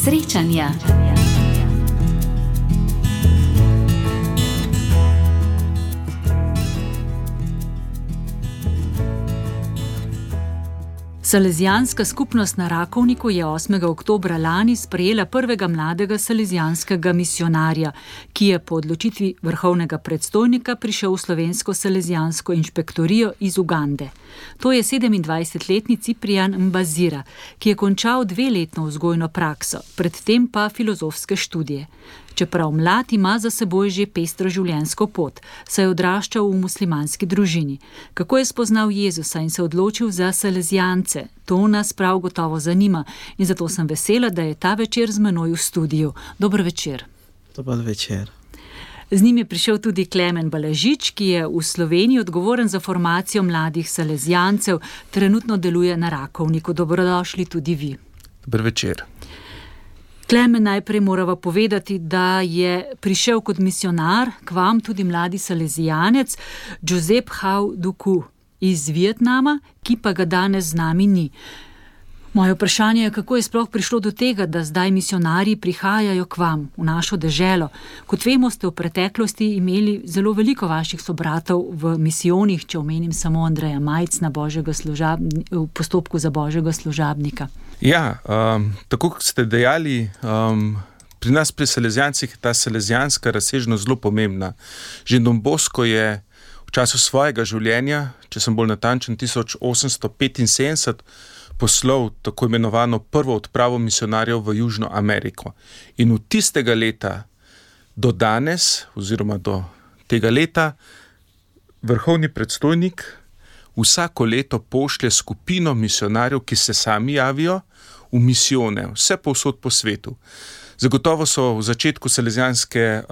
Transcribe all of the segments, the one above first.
Srečanja. Salezijanska skupnost na Rakovniku je 8. oktobra lani sprejela prvega mladega salezijanskega misionarja, ki je po odločitvi vrhovnega predstojnika prišel v slovensko salezijansko inšpektorijo iz Ugande. To je 27-letni Ciprian Mbazira, ki je končal 2-letno vzgojno prakso, predtem pa filozofske študije. Čeprav mlad, ima za seboj že pestro življenjsko pot, saj je odraščal v muslimanski družini. Kako je spoznal Jezusa in se odločil za salezijance? To nas prav gotovo zanima in zato sem vesela, da je ta večer z menoj v studiu. Dober večer. Dober večer. Z njim je prišel tudi Klemen Balažič, ki je v Sloveniji odgovoren za formacijo mladih salezijancev, trenutno deluje na Rakovniku. Dobrodošli tudi vi. Dober večer. Klemen, najprej morava povedati, da je prišel kot misionar k vam tudi mladi salezijanec Josep Hau Duku iz Vietnama, ki pa ga danes z nami ni. Moje vprašanje je, kako je sploh prišlo do tega, da zdaj misionarji prihajajo k vam, v našo deželo. Kot vemo, ste v preteklosti imeli zelo veliko vaših sobratov v misijonih, če omenim samo Andreja Majcna v postopku za Božjega služabnika. Ja, tako kot ste dejali, pri nas pri salezijancih je ta salezijanska razsežnost zelo pomembna. Že Don Bosco je v času svojega življenja, če sem bolj natančen, 1875 poslal tako imenovano prvo odpravo misionarjev v Južno Ameriko. In od tistega leta do danes, oziroma do tega leta, vrhovni predstojnik vsako leto pošlje skupino misionarjev, ki se sami javijo v misijone, vse povsod po svetu. Zagotovo so v začetku salezijanske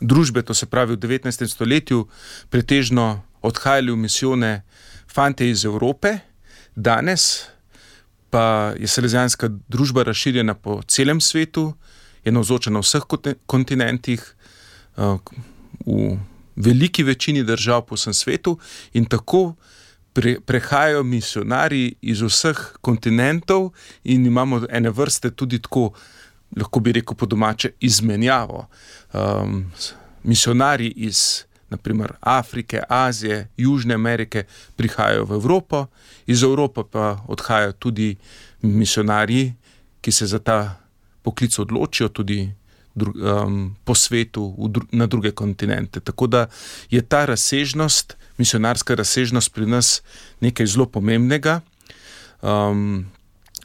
družbe, to se pravi v 19. stoletju, pretežno odhajali v misijone fantje iz Evrope. Danes pa je salezijanska družba razširjena po celem svetu, je navzoča na vseh kontinentih, v veliki večini držav po vsem svetu in tako prehajajo misionarji iz vseh kontinentov in imamo ene vrste tudi tako, lahko bi rekel po domače, izmenjavo. Misionarji iz naprimer Afrike, Azije, Južne Amerike prihajajo v Evropo, iz Evrope pa odhajajo tudi misionarji, ki se za ta poklic odločijo tudi po svetu na druge kontinente. Tako da je ta razsežnost, misionarska razsežnost pri nas nekaj zelo pomembnega.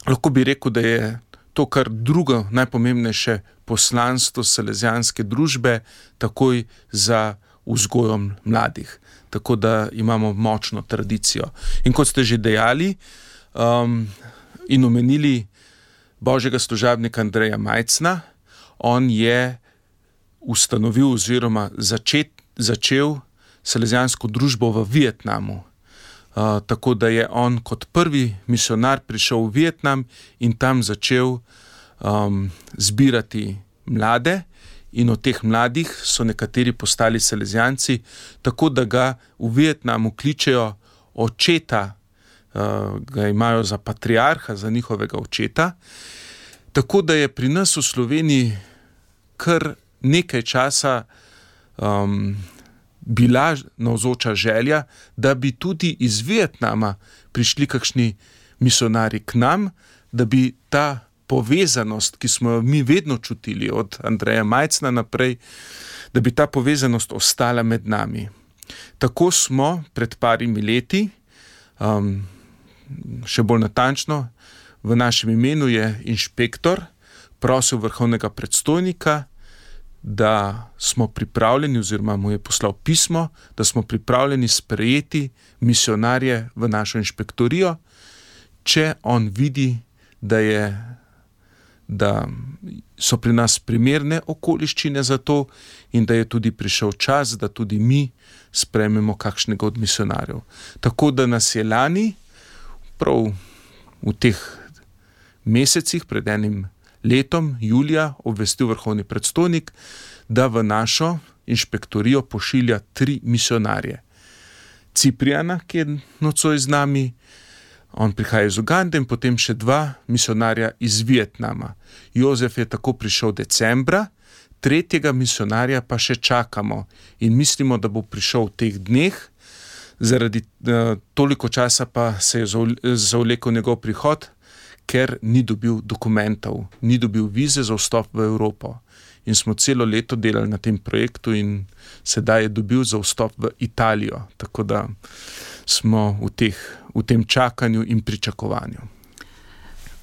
Lahko bi rekel, da je to kar drugo najpomembnejše poslanstvo salezijanske družbe, takoj za vzgojom mladih. Tako da imamo močno tradicijo. In kot ste že dejali in omenili Božjega služabnika Andreja Majcna, on je ustanovil oziroma začel salezijansko družbo v Vietnamu. Tako da je on kot prvi misionar prišel v Vietnam in tam začel zbirati mlade. In od teh mladih so nekateri postali salezijanci, tako da ga v Vietnamu kličejo očeta, ga imajo za patriarha, za njihovega očeta. Tako da je pri nas v Sloveniji kar nekaj časa bila navzoča želja, da bi tudi iz Vietnama prišli kakšni misionarji k nam, da bi ta povezanost, ki smo jo mi vedno čutili od Andreja Majcna naprej, da bi ta povezanost ostala med nami. Tako smo pred parimi leti, še bolj natančno, v našem imenu je inšpektor prosil vrhovnega predstojnika, da smo pripravljeni, oziroma mu je poslal pismo, da smo pripravljeni sprejeti misionarje v našo inšpektorijo, če on vidi, da so pri nas primerne okoliščine za to in da je tudi prišel čas, da tudi mi sprejmemo kakšnega od misionarjev. Tako da nas je lani, prav v teh mesecih, pred enim letom, julija, obvestil vrhovni predstojnik, da v našo inšpektorijo pošilja 3 misionarje. Cipriana, ki je nocoj z nami, On prihaja iz Ugande in potem še 2 misionarja iz Vietnama. Jozef je tako prišel decembra, 3. misionarja pa še čakamo in mislimo, da bo prišel v teh dneh. Zaradi toliko časa pa se je zavlekel njegov prihod, ker ni dobil dokumentov, ni dobil vize za vstop v Evropo. In smo celo leto delali na tem projektu in sedaj je dobil za vstop v Italijo. Tako da smo v tem čakanju in pričakovanju.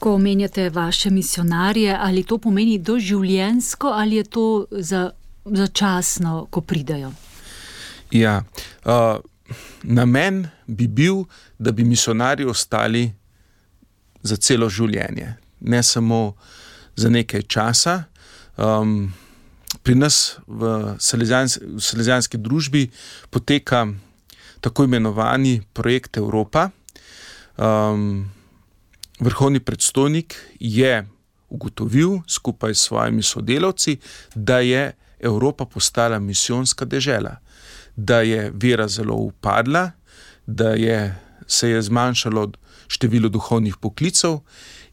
Ko omenjate vaše misionarje, ali to pomeni doživljenjsko ali je to začasno, ko pridejo? Ja, namen bi bil, da bi misionarji ostali za celo življenje, ne samo za nekaj časa. Pri nas v Salezijanski družbi poteka tako imenovani projekt Evropa. Vrhovni predstojnik je ugotovil skupaj s svojimi sodelavci, da je Evropa postala misijonska dežela, da je vera zelo upadla, da se je zmanjšalo število duhovnih poklicev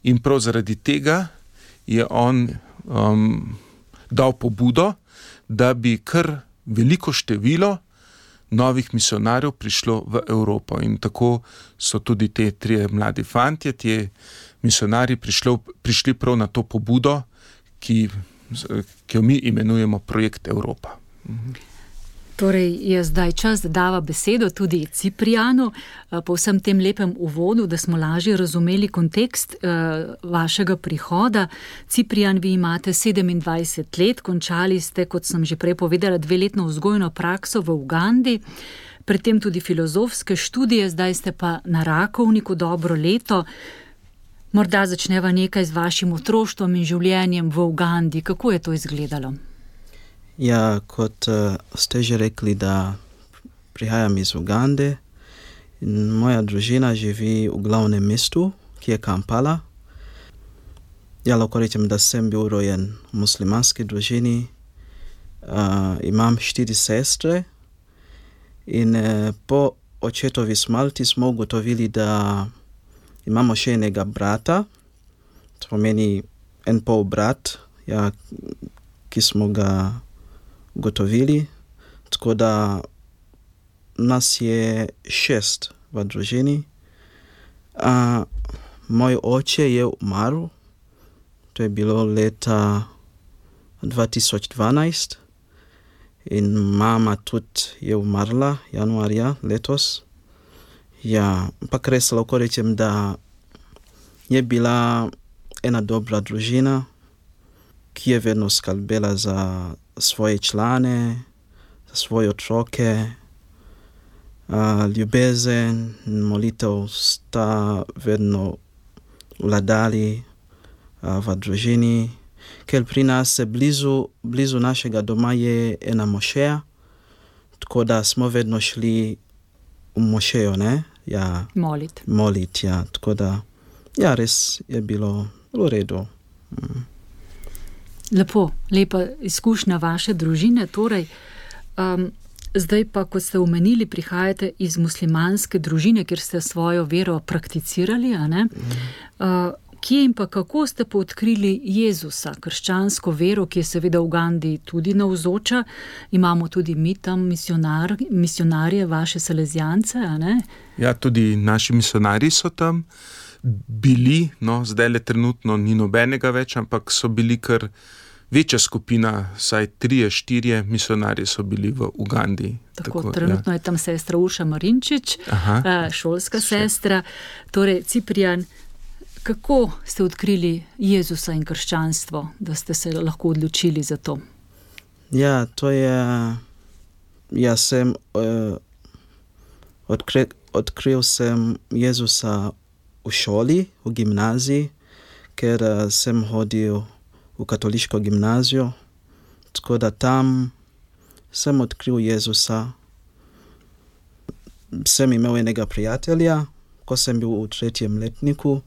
in prav zaradi tega je on dal pobudo, da bi kar veliko število novih misionarjev prišlo v Evropo. In tako so tudi te 3 mladi fantje, ti misionarji prišli prav na to pobudo, ki jo mi imenujemo projekt Evropa. Torej je zdaj čas, da dava besedo tudi Ciprijanu po vsem tem lepem uvodu, da smo lažje razumeli kontekst vašega prihoda. Ciprijan, vi imate 27 let, končali ste, kot sem že prej povedala, 2-letno vzgojno prakso v Ugandi, predtem tudi filozofske študije, zdaj ste pa na Rakovniku dobro leto. Morda začneva nekaj z vašim otroštvom in življenjem v Ugandi. Kako je to izgledalo? Ja, kot ste že rekli, da prihajam iz Ugande in moja družina živi v glavnem mestu, ki je Kampala. Ja, lahko rečem, da sem bil rojen v muslimanski družini. Imam 4 sestre in po očetovi smrti smo ugotovili, da imamo še enega brata, to pomeni en pol brat, ja, ki smo ga ugotovili, tako da nas je 6 v družini. Moj oče je umrl, to je bilo leta 2012 in mama tudi je umrla januarja letos. Ja, ampak res lahko rečem, da je bila ena dobra družina, ki je vedno skrbela za svoje člane, za svoje otroke. Ljubezen in molitev sta vedno vladali v družini, ker pri nas blizu našega doma je ena mošeja, tako da smo vedno šli v mošejo, ne? Ja, molit, ja, tako da, ja, res je bilo v redu. Lepa izkušnja vaše družine, torej. Zdaj pa, kot ste omenili, prihajate iz muslimanske družine, kjer ste svojo vero prakticirali, a ne? Kje in pa kako ste pa odkrili Jezusa, krščansko vero, ki je seveda v Ugandi tudi navzoča? Imamo tudi mi tam misionarje, vaše salezijance, a ne? Ja, tudi naši misionarji so tam bili, no, zdaj le trenutno ni nobenega več, ampak so bili kar večja skupina, saj 3-4 misionarji so bili v Ugandi. Tako trenutno je tam sestra Urša Marinčič, šolska sestra. Torej, Ciprijan, kako ste odkrili Jezusa in krščanstvo, da ste se lahko odločili za to? Ja, to je... Jaz sem odkril sem Jezusa v šoli, v gimnaziji, ker sem hodil v katoliško gimnazijo, tako da tam sem odkril Jezusa. Sem imel enega prijatelja, ko sem bil v 3. letniku,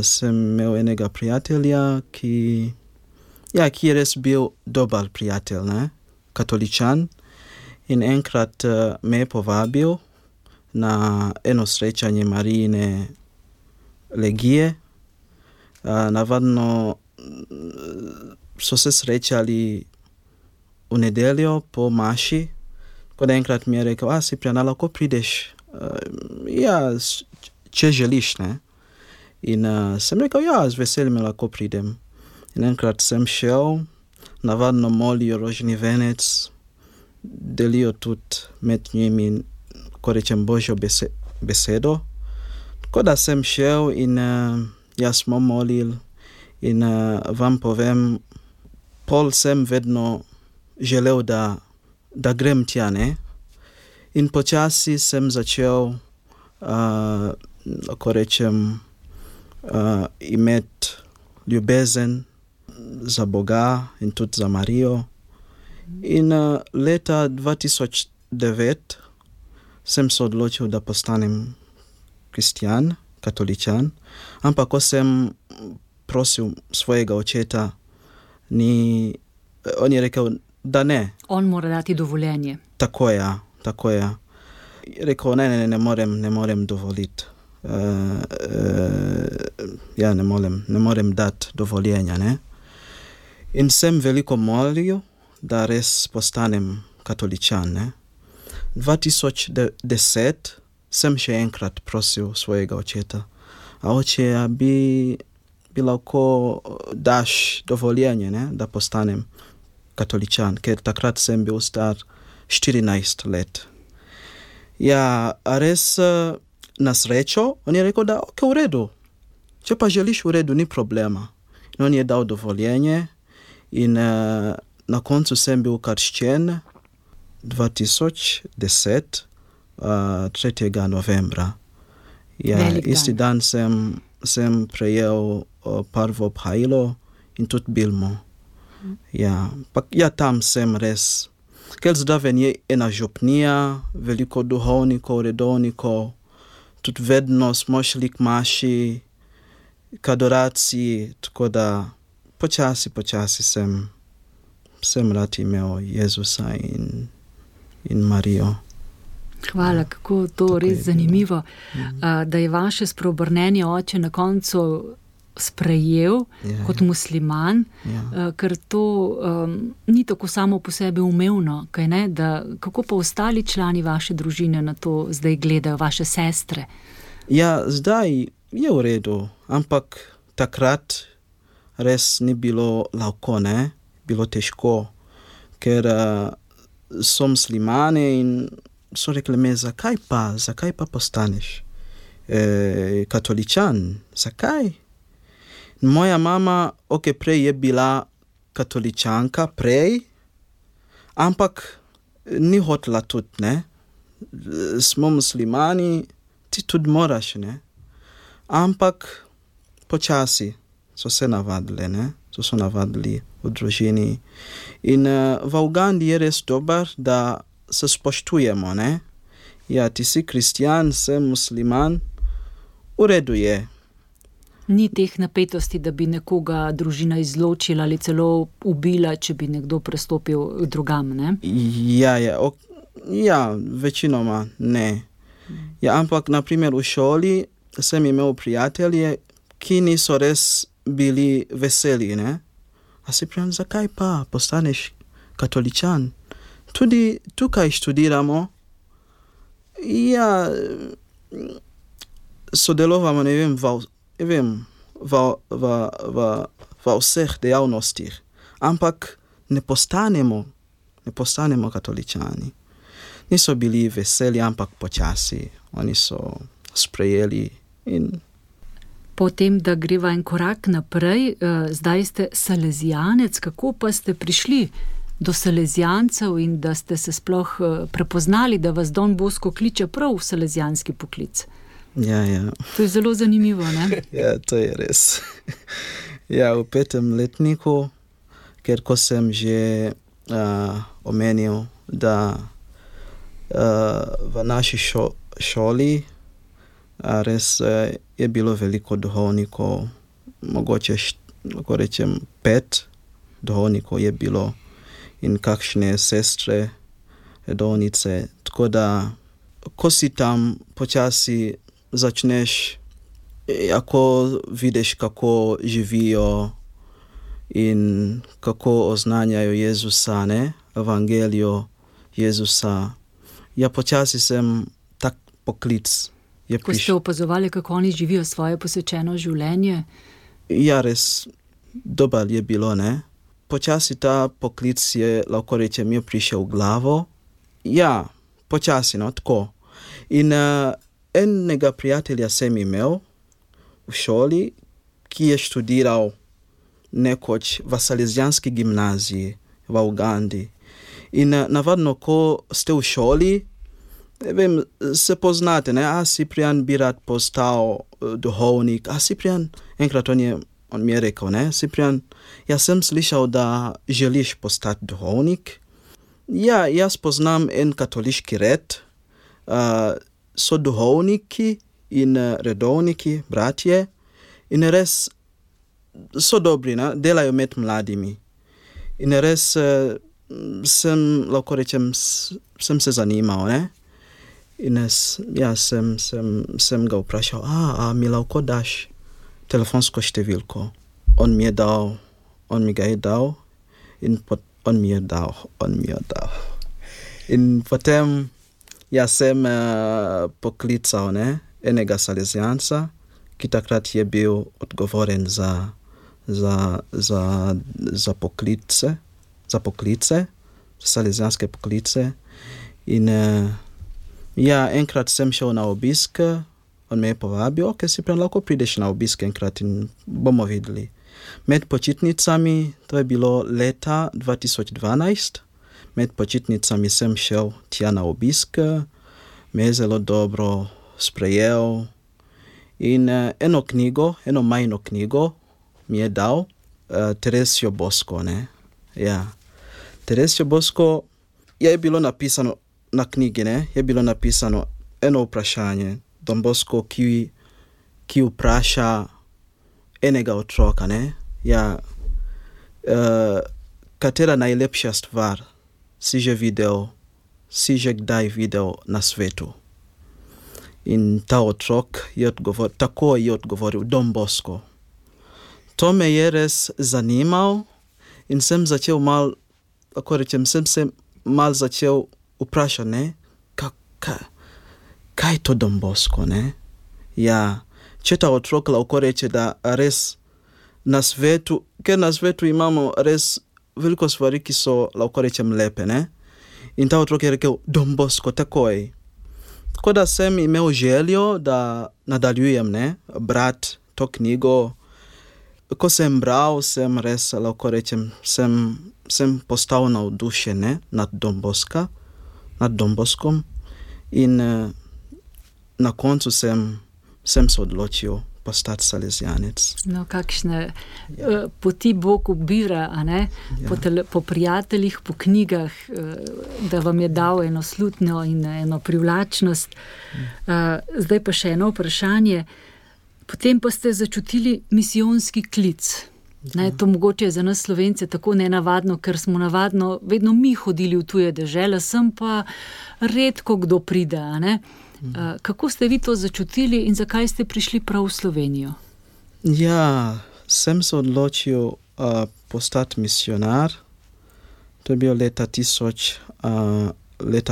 sem imel enega prijatelja, ki je res bil dober prijatelj, ne? Katoličan, in enkrat me je povabil na eno srečanje Marijine legije. Navadno so se srečali v nedeljo po maši, ko enkrat mi je rekel, Ciprian, lahko prideš, če želiš, ne? In sem rekel, z veseljem lahko pridem. In enkrat sem šel, navadno molijo rožni venec, delijo tudi med njimi, ko rečem, Božjo besedo. Tako da sem šel in jaz smo molili in vam povem, pol sem vedno želel, da grem tja, ne? In počasi sem začel, ko rečem, imeti ljubezen za Boga in tudi za Marijo. In leta 2009 sem se odločil, da postanem kristjan, katoličan, ampak ko sem prosil svojega očeta, on je rekel, da ne. On mora dati dovoljenje. Tako je. Rekel, ne morem dovoliti. Ne morem dati dovoljenja, ne. In sem veliko molil, da res postanem katoličan, ne. 2010 sem še enkrat prosil svojega očeta, oče, bi lahko daš dovoljenje, ne, da postanem katoličan, ker takrat sem bil star 14 let. Res na srečo, on je rekel, da v redu, če pa želiš v redu, ni problema. In on je dal dovoljenje in na koncu sem bil krščen 2010, 3. novembra. Isti dan sem prejel prvo obhajilo in tudi bilmo. Tam sem res. Ker zraven je ena župnija, veliko duhovnikov, redovnikov, tudi vedno smo šli k maši, k adoraciji, tako da počasi sem rad imel Jezusa in Marijo. Hvala, kako to res zanimivo, da je vaše spreobrnenje oče na koncu sprejel kot musliman, ker to ni tako samo po sebi umevno, kaj ne? Kako pa ostali člani vaše družine na to zdaj gledajo, vaše sestre? Zdaj je v redu, ampak takrat res ni bilo lahko, ne? Bilo težko, ker so muslimane in so rekli me, zakaj pa postaneš katoličan? Zakaj? Moja mama, prej je bila katoličanka, ampak ni hotela tudi, ne? Smo muslimani, ti tudi moraš, ne? Ampak počasi so se navadili, ne? So navadili v družini. In v Ugandi je res dober, da se spoštujemo, ne? Ti si kristjan, sem musliman, v redu je. Ni teh napetosti, da bi nekoga družina izločila ali celo ubila, če bi nekdo prestopil drugam, ne? Večinoma ne. Ampak, naprimer, v šoli sem imel prijatelje, ki niso res bili veseli, ne? Ciprian, zakaj pa postaneš katoličan? Tudi tukaj študiramo, sodelovamo, v vseh dejavnostih, ampak ne postanemo katoličani. Niso bili veseli, ampak počasi. Oni so sprejeli in... Potem, da greva en korak naprej, zdaj ste salezijanec, kako pa ste prišli do salezijancev in da ste se sploh prepoznali, da vas Don Bosco kliče prav v salezijanski poklic? To je zelo zanimivo, ne? To je res. V 5. letniku, ker ko sem že omenil, da v naši šoli res je bilo veliko duhovnikov, mogoče, lahko rečem, 5 duhovnikov je bilo in kakšne sestre, redovnice, tako da ko si tam počasi začneš, ako vidiš, kako živijo in kako oznanjajo Jezusa, ne? Evangelijo Jezusa. Ja, počasi sem tak poklic. Ko ste opazovali, kako oni živijo svoje posvečeno življenje? Ja, res dober je bilo, ne? Počasi ta poklic je, lahko rečem, je prišel v glavo. Ja, počasi, no, tako. In enega prijatelja sem imel v šoli, ki je študiral nekoč v Salesijanski gimnaziji v Ugandi. In navadno, ko ste v šoli, vem, se poznate, ne? A Ciprian bi rad postal duhovnik, a Ciprian, enkrat on mi je rekel, ne? Ciprian, jaz sem slišal, da želiš postati duhovnik. Ja, jaz poznam en katoliški red, so duhovniki in redovniki, bratje, in res so dobri, ne? Delajo med mladimi. In res sem, lahko rečem, sem se zanimal, ne? In ja, sem ga vprašal, a mi lahko daš telefonsko številko. On mi ga je dal in on mi je dal. In potem ja sem poklical, ne, enega Salesijanca, ki takrat je bil odgovoren za poklice, Salesijanske poklice. In ja, enkrat sem šel na obisk, on me je povabil, ok, Ciprian, lahko prideš na obisk enkrat in bomo videli. Med počitnicami, to je bilo leta 2012, med počitnicami sem šel tja na obisk, me je zelo dobro sprejel in eno majno knjigo mi je dal, Teresio Bosco, ne. Ja, Teresio Bosco je bilo napisano na knjigi, ne, je bilo napisano eno vprašanje, Don Bosco, ki vpraša enega otroka, ne, ja, katera najlepša stvar si že kdaj videl na svetu. In ta otrok tako je odgovoril, Don Bosco. To me je res zanimal in sem začel sem se mal začel vprašati, ne, kaj je to Don Bosco, ne? Ja, če ta otrok lahko reče, da res na svetu, ker na svetu imamo res veliko stvari, ki so, lahko rečem, lepe, ne? In ta otrok je rekel, Don Bosco, takoj. Tako da sem imel željo, da nadaljujem, ne, brat to knjigo. Ko sem bral, sem res, lahko rečem, sem postal navdušen, ne, nad Don Boskom. In na koncu sem se odločil postati Salesijanec. No, kakšne poti Bog ubira, a ne? Ja. Po prijateljih, po knjigah, da vam je dal eno slutnjo in eno privlačnost. Zdaj pa še eno vprašanje. Potem pa ste začutili misijonski klic. Ne, to mogoče je za nas Slovence tako nenavadno, ker smo navadno vedno mi hodili v tuje dežele, sem pa redko kdo pride, a ne? Kako ste vi to začutili in zakaj ste prišli prav v Slovenijo? Ja, sem se odločil postati misionar. To je bilo leta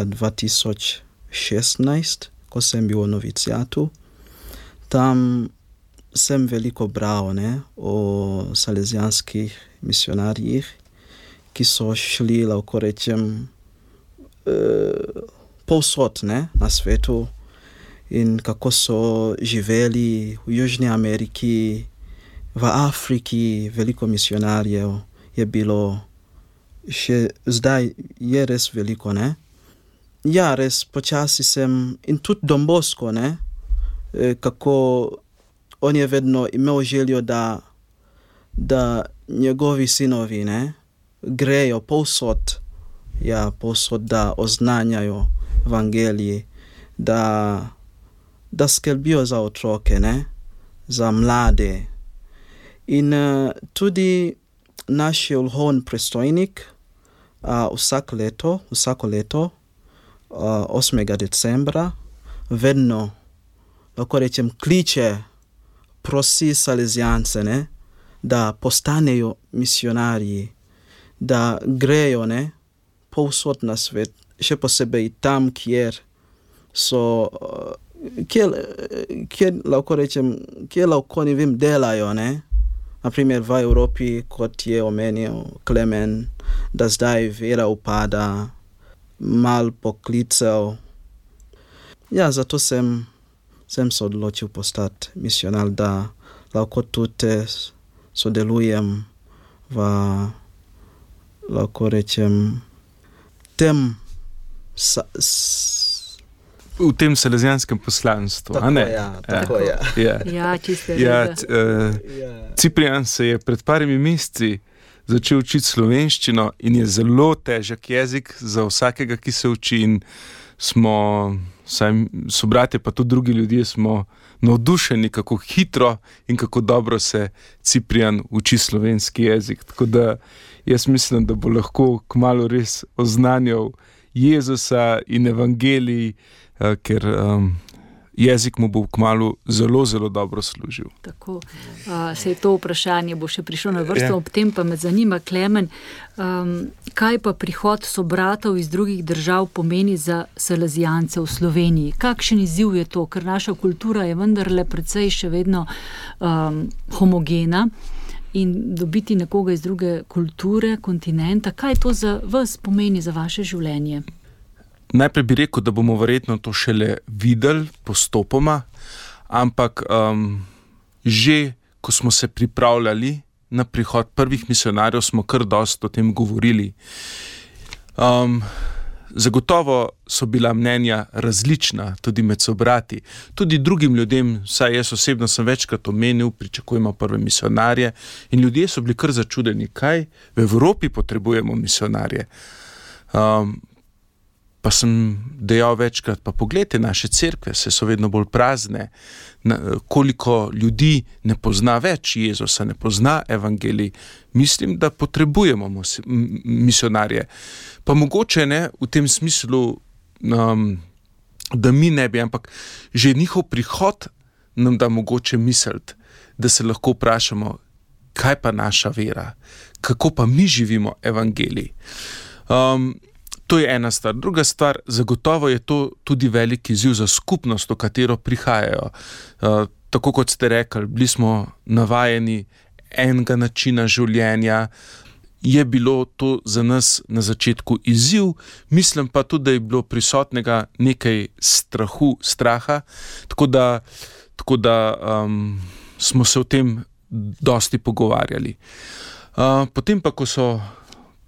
2016, ko sem bil v novicijatu. Tam sem veliko bral, ne, o salesijanskih misionarjih, ki so šli, lahko rečem, povsod, ne, na svetu in kako so živeli v Južni Ameriki, v Afriki, veliko misionarjev je bilo, še zdaj je res veliko, ne. Ja, res počasi sem, in tudi Don Bosco, ne, kako on je vedno imel željo, da njegovi sinovi, ne, grejo povsod, da oznanjajo evangeliji, da skrbijo za otroke, ne, za mlade. In tudi naš duhovni predstojnik vsako leto 8. decembra vedno, lahko rečem, kliče, prosi salezijance, ne, da postanejo misionarji, da grejo, ne, povsod na svet, še posebej tam, kjer lahko ne vem, delajo, ne. Naprimer v Evropi, kot je omenil Klemen, da zdaj vera upada, mal poklicev. Ja, zato sem se odločil postati misionar, da lahko tudi sodelujem v, lahko rečem, v tem salezijanskem poslanstvu. Tako, ja. Ja, čisto res. Ciprian se je pred parimi meseci začel učiti slovenščino in je zelo težek jezik za vsakega, ki se uči, in smo, sobratje pa tudi drugi ljudje, smo navdušeni, kako hitro in kako dobro se Ciprian uči slovenski jezik. Tako da jaz mislim, da bo lahko kmalu res oznanjal Jezusa in evangelij, ker jezik mu bo kmalu zelo, zelo dobro služil. Tako, sej to vprašanje bo še prišlo na vrsto, ob tem pa me zanima, Klemen, kaj pa prihod sobratov iz drugih držav pomeni za salezijance v Sloveniji? Kakšen izziv je to? Ker naša kultura je vendarle precej še vedno homogena, in dobiti nekoga iz druge kulture, kontinenta, kaj to za vas pomeni, za vaše življenje? Najprej bi rekel, da bomo verjetno to šele videli postopoma, ampak že ko smo se pripravljali na prihod prvih misionarjev, smo kar dosti o tem govorili. Zagotovo so bila mnenja različna, tudi med sobrati, tudi drugim ljudem, saj jaz osebno sem večkrat omenil, pričakujemo prve misionarje, in ljudje so bili kar začudeni, kaj v Evropi potrebujemo misionarje. Pa sem dejal večkrat, pa poglejte naše cerkve, se so vedno bolj prazne, koliko ljudi ne pozna več Jezusa, ne pozna evangelij. Mislim, da potrebujemo misionarje. Pa mogoče ne v tem smislu, da mi ne bi, ampak že njihov prihod nam da mogoče misliti, da se lahko vprašamo, kaj pa naša vera, kako pa mi živimo evangelij. To je ena stvar. Druga stvar, zagotovo je to tudi velik izziv za skupnost, v katero prihajajo. Tako kot ste rekli, bili smo navajeni enega načina življenja, je bilo to za nas na začetku izziv, mislim pa tudi, da je bilo prisotnega nekaj straha, tako da smo se o tem dosti pogovarjali. Potem pa, ko so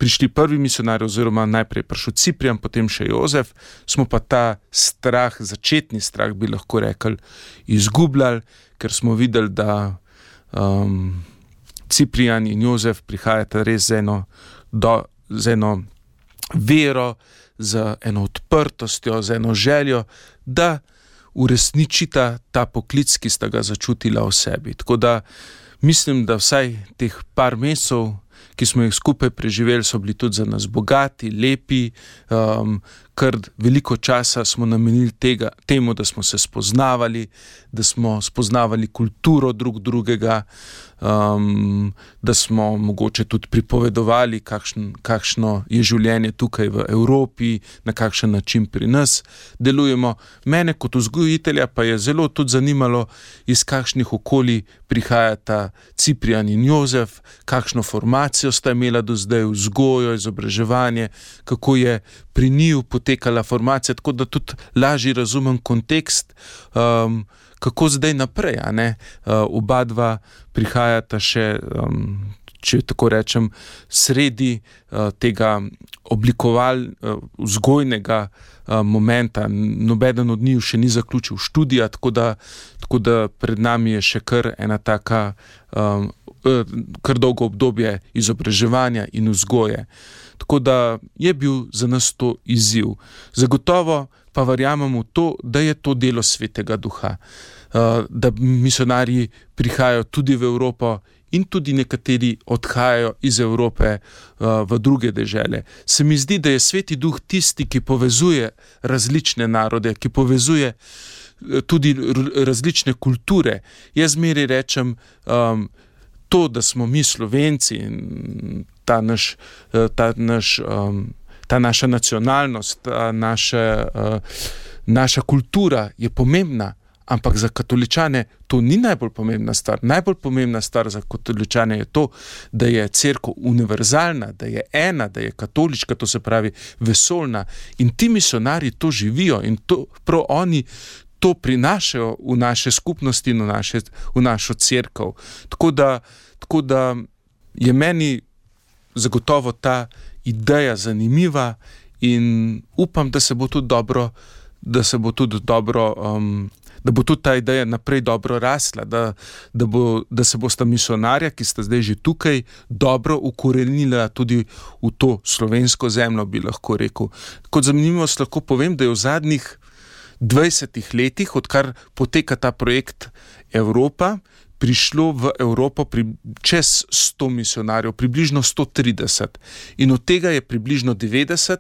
prišli prvi misionarji, oziroma najprej prišel Ciprian, potem še Jozef, smo pa ta strah, začetni strah, bi lahko rekli, izgubljali, ker smo videli, da Ciprian in Jozef prihajata res z eno vero, z eno odprtostjo, z eno željo, da uresničita ta poklic, ki sta ga začutila v sebi. Tako da mislim, da vsaj teh par mesecev, ki smo jih skupaj preživeli, so bili tudi za nas bogati, lepi, kar veliko časa smo namenili temu, da smo se spoznavali, da smo spoznavali kulturo drugega, da smo mogoče tudi pripovedovali, kakšno je življenje tukaj v Evropi, na kakšen način pri nas delujemo. Mene kot vzgojitelja pa je zelo tudi zanimalo, iz kakšnih okolij prihajata Ciprian in Jozef, kakšno formacijo sta imela do zdaj, vzgojo, izobraževanje, kako je pri njiju potekala formacija, tako da tudi lažje razumem kontekst, kako zdaj naprej, a ne? Oba dva prihajata še, če tako rečem, sredi tega vzgojnega momenta. Nobeden od njiju še ni zaključil študija, tako da pred nami je še kar ena taka, kar dolgo obdobje izobraževanja in vzgoje. Tako da je bil za nas to izziv. Zagotovo pa verjamemo v to, da je to delo Svetega Duha, da misionarji prihajajo tudi v Evropo in tudi nekateri odhajajo iz Evrope v druge dežele. Se mi zdi, da je Sveti Duh tisti, ki povezuje različne narode, ki povezuje tudi različne kulture. Jaz zmeraj rečem, to, da smo mi Slovenci in ta naša nacionalnost, naša kultura je pomembna, ampak za katoličane to ni najbolj pomembna stvar. Najbolj pomembna stvar za katoličane je to, da je cerkev univerzalna, da je ena, da je katoliška, to se pravi vesoljna. In ti misionarji to živijo in to, prav oni to prinašajo v naše skupnosti in v našo cerkev. Tako da je meni zagotovo ta ideja zanimiva in upam, da bo tudi ta ideja naprej dobro rasla, da se bosta misionarja, ki sta zdaj že tukaj, dobro ukorenila tudi v to slovensko zemljo, bi lahko rekel. Kot zanimivost lahko povem, da je v zadnjih 20 letih, odkar poteka ta projekt Evropa, prišlo v Evropo čez 100 misionarjev, približno 130. In od tega je približno 90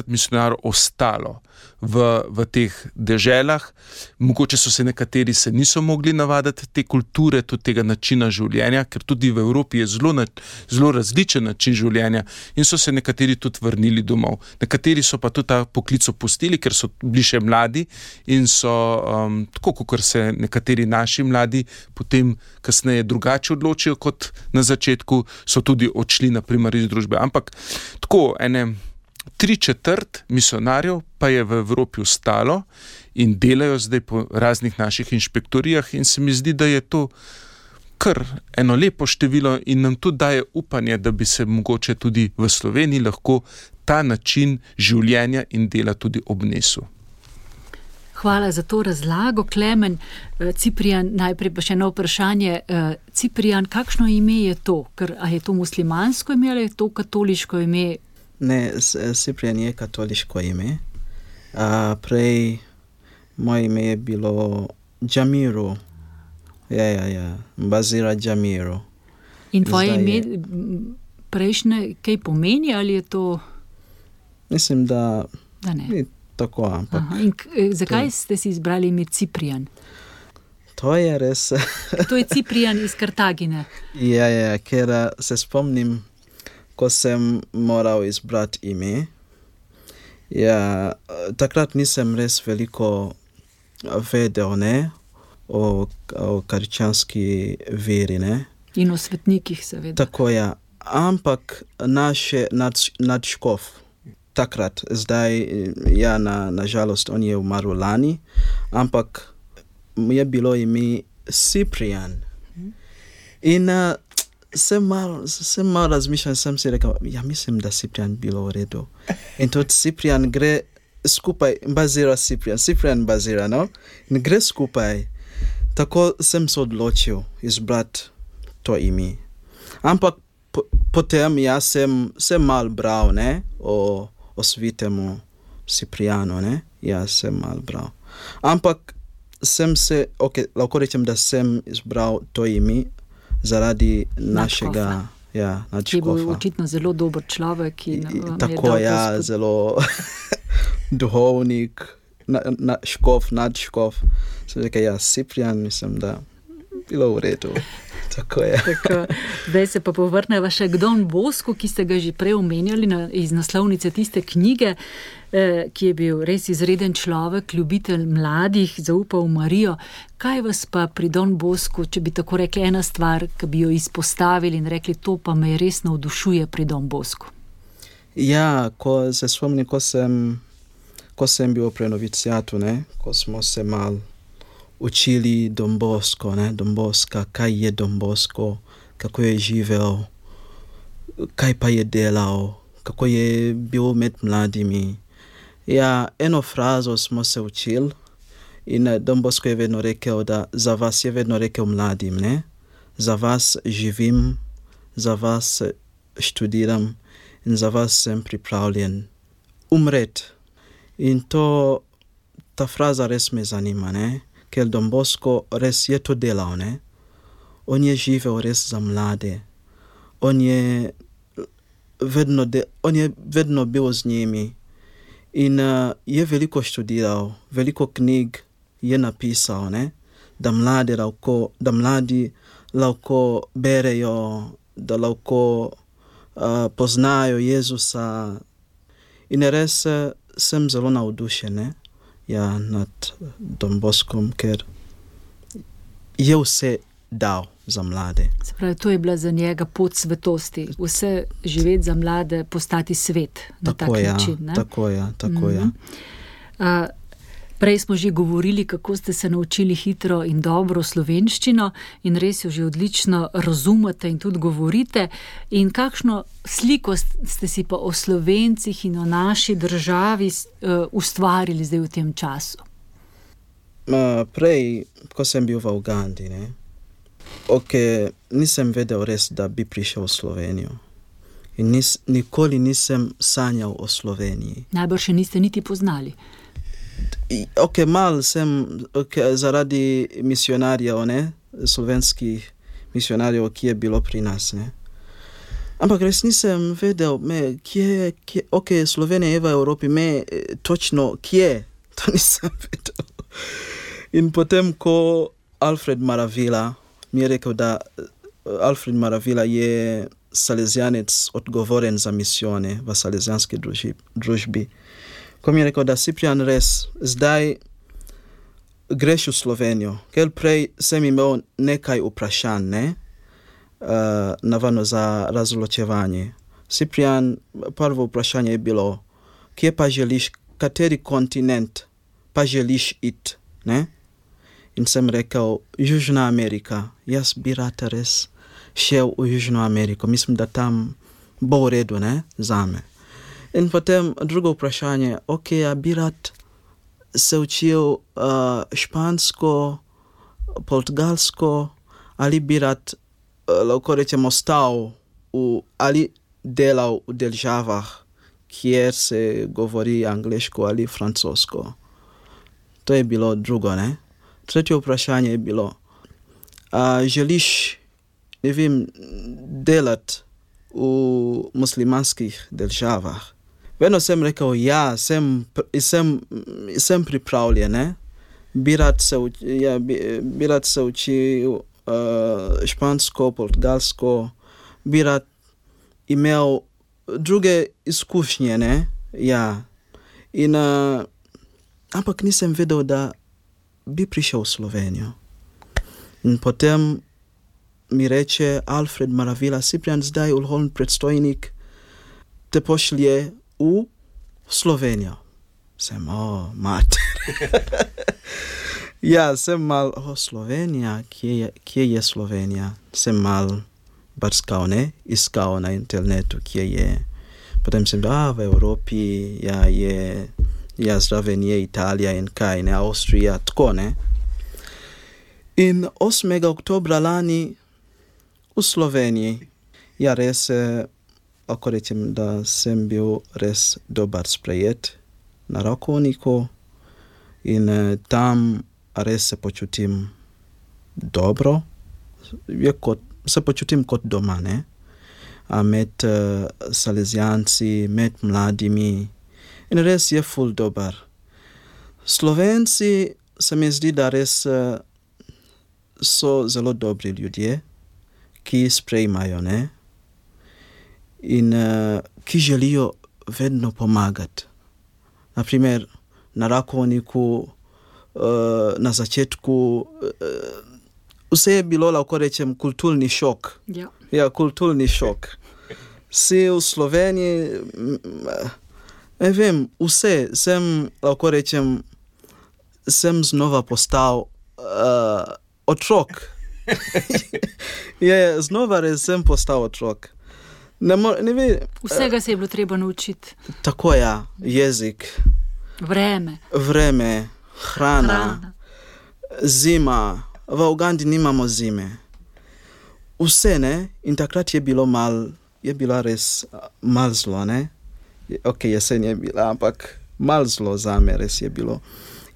misionarjev ostalo v teh deželah. Mogoče nekateri se niso mogli navaditi te kulture, tudi tega načina življenja, ker tudi v Evropi je zelo različen način življenja in so se nekateri tudi vrnili domov. Nekateri so pa tudi ta poklic opustili, ker so bili še mladi in so, tako kot se nekateri naši mladi potem kasneje drugače odločijo kot na začetku, so tudi odšli na primer iz družbe. Ampak tako, 3/4 misionarjev pa je v Evropi ostalo in delajo zdaj po raznih naših inšpektorijah in se mi zdi, da je to kar eno lepo število in nam tudi daje upanje, da bi se mogoče tudi v Sloveniji lahko ta način življenja in dela tudi obnesel. Hvala za to razlago, Klemen. Ciprijan, najprej pa še eno vprašanje. Ciprijan, kakšno ime je to? A je to muslimansko ime ali je to katoliško ime? Ne, Ciprijan je katoliško ime. Prej moje ime je bilo Džamiru. Ja. Bazira Džamiru. In tvoje ime prejšnje kaj pomeni ali je to? Mislim, da ne. Ni tako, ampak... In zakaj ste si izbrali ime Ciprijan? To je res... To je Ciprijan iz Kartagine. Ja, ker se spomnim, ko sem moral izbrati ime. Ja, takrat nisem res veliko vedel, ne, o krščanski veri, ne. In o svetnikih, seveda. Tako je, ampak naš nadškof takrat, zdaj, ja, na žalost, on je umrl lani, ampak je bilo ime Ciprijan. In sem malo razmišljal, sem si rekel, ja, mislim, da Ciprijan bilo v redu. In tudi Ciprijan gre skupaj, Ciprijan bazira, no? In gre skupaj. Tako sem se odločil izbrati to ime. Ampak potem jaz sem mal bral, ne, o svetemu Ciprijanu, ne, jaz sem mal bral. Ampak lahko rečem, da sem izbral to ime zaradi našega nadškofa. Ki je bil očitno zelo dober človek. Tako, ja, zelo duhovnik, nadškof. Sem rekel, ja, Ciprijan, mislim, da bilo v redu. Tako je. Zdaj se pa povrneva še k Don Bosku, ki ste ga že prej omenjali iz naslovnice tiste knjige, ki je bil res izreden človek, ljubitelj mladih, zaupal v Marijo. Kaj vas pa pri Don Bosku, če bi tako rekli, ena stvar, ki bi jo izpostavili in rekli, to pa me res navdušuje pri Don Bosku? Ja, ko se spomnim, ko sem bil pri noviciatu, ne, ko smo se mal učili Don Bosco, ne, Don Bosca, kaj je Don Bosco, kako je živel, kaj pa je delal, kako je bil med mladimi. Ja, eno frazo smo se učili in Don Bosco je vedno rekel, da za vas je vedno rekel mladim, ne, za vas živim, za vas študiram in za vas sem pripravljen umret. In ta fraza res me zanima, ne, ker Don Bosco res je to delal, ne. on je živel res za mlade. On je vedno bil z njimi in je veliko študiral, veliko knjig je napisal, ne? Da mladi lahko berejo, da lahko poznajo Jezusa. In res sem zelo navdušen, ne? Ja, nad Don Boskom, ker je vse dal za mlade. Se pravi, to je bila za njega pot svetosti. Vse živeti za mlade, postati svet na tak način. Ne? Tako je. Prej smo že govorili, kako ste se naučili hitro in dobro slovenščino in res jo že odlično razumete in tudi govorite. In kakšno sliko ste si pa o Slovencih in o naši državi ustvarili zdaj v tem času? Prej, ko sem bil v Ugandi, ne? Nisem vedel res, da bi prišel v Slovenijo. In nikoli nisem sanjal o Sloveniji. Najbrž še niste niti poznali. Mal sem zaradi misionarjev, ne? Slovenskih misionarjev, ki je bilo pri nas. Ne? Ampak res nisem vedel, kje Slovenija je v Evropi, točno kje, to nisem vedel. In potem, ko Alfred Maravilla mi je rekel, da Alfred Maravilla je salesianec odgovoren za misione v salesianski družbi. Ko mi je rekel, da Ciprian res zdaj greš v Slovenijo, ker prej sem imel nekaj vprašanj, ne? Navadno za razločevanje. Ciprian, prvo vprašanje je bilo, kje pa želiš, kateri kontinent pa želiš iti, ne? In sem rekel, Južna Amerika. Jaz bi rad res šel v Južno Ameriko. Mislim, da tam bo v redu, ne, zame. In potem drugo vprašanje, ja bi rad se učil špansko, portugalsko, ali bi rad, lahko rečemo, stal ali delal v državah, kjer se govori angleško ali francosko. To je bilo drugo, ne. Tretje vprašanje je bilo, želiš, ne vem, delati v muslimanskih državah? Vedno sem rekel, ja, sem pripravljen, ne? Bi rad se učil špansko, portugalsko, bi rad imel druge izkušnje, ne? Ja. In, ampak nisem vedel, da bi prišel v Slovenijo. In potem mi reče Alfred Maravilla, Ciprian, zdaj vrhovni predstojnik te pošlje v Slovenijo. Sem, mater. Ja, sem mal, Slovenija, kje je Slovenija? Sem mal brskal, ne? Iskal na internetu, kje je. Potem sem v Evropi, zraven je Italija in kaj, ne, Avstrija, tako, ne. In 8. oktobra lani v Sloveniji, ja, res, lahko rečem, da sem bil res dober sprejet na Rakovniku in tam res se počutim dobro, se počutim kot doma, ne, med salesianci, med mladimi. In res je ful dober. Slovenci se mi zdi, da res so zelo dobri ljudje, ki sprejmajo, ne? In ki želijo vedno pomagati. Naprimer, na Rakovniku, na začetku, vse je bilo, lahko rečem, kulturni šok. Ja. Ja, kulturni šok. Si v Sloveniji, ne vem, vse, lahko rečem, sem znova postal otrok. Znova res sem postal otrok. Vsega se je bilo treba naučiti. Tako je, jezik. Vreme, hrana. Zima. V Ugandi nimamo zime. Vse, ne? In takrat je bila res mal zlo, ne? Jesen je bila, ampak mal zlo zame res je bilo.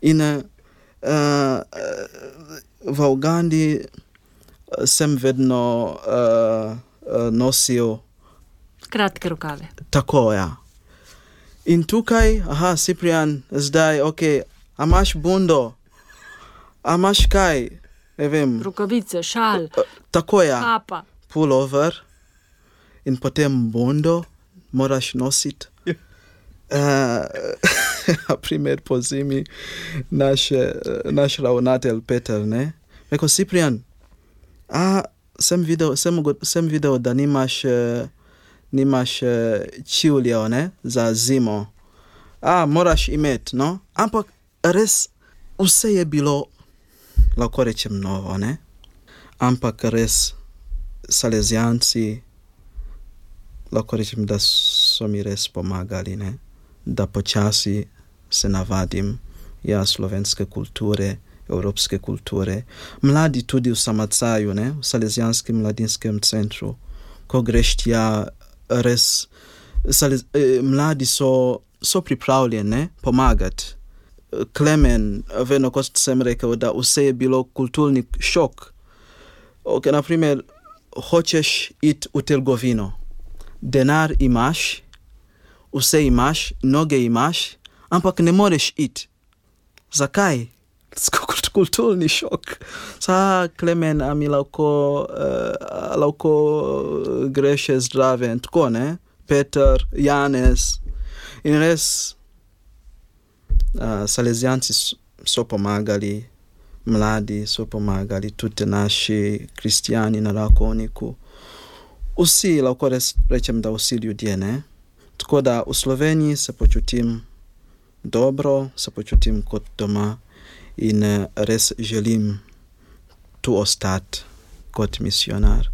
In v Ugandi sem vedno nosil kratke rokave. Tako, ja. In tukaj, Ciprian, zdaj, a imaš bundo? A imaš kaj? Ne vem. Rokavice, šal. Tako, ja. Kapa. Pullover. In potem bundo moraš nositi. Na primer po zimi naš ravnatelj Peter, ne? Rekel, Ciprian, sem videl, da nimaš čivljev, ne? Za zimo. Moraš imeti, no? Ampak res vse je bilo, lahko rečem, novo, ne? Ampak res Salezijanci, lahko rečem, da so mi res pomagali, ne? Da počasi se navadim slovenske kulture, evropske kulture. Mladi tudi v Samacaju, ne? V Salezijanskem mladinskem centru. Ko greš tja, res mladi so pripravljeni, ne? Pomagati. Klemen, vedno, kot sem rekel, da vse je bilo kulturni šok. Naprimer, hočeš iti v trgovino. Denar imaš, vse imaš, noge imaš, ampak ne moreš iti. Zakaj? Kulturni šok. Klemen, a mi lahko greš zdrave in tako, ne? Peter, Janez. In res, Salezijanci so pomagali, mladi so pomagali, tudi naši kristijani na Rakovniku. Vsi, lahko rečem, da vsi ljudje, ne? Tako da v Sloveniji se počutim dobro, se počutim kot doma in res želim tu ostati kot misionar.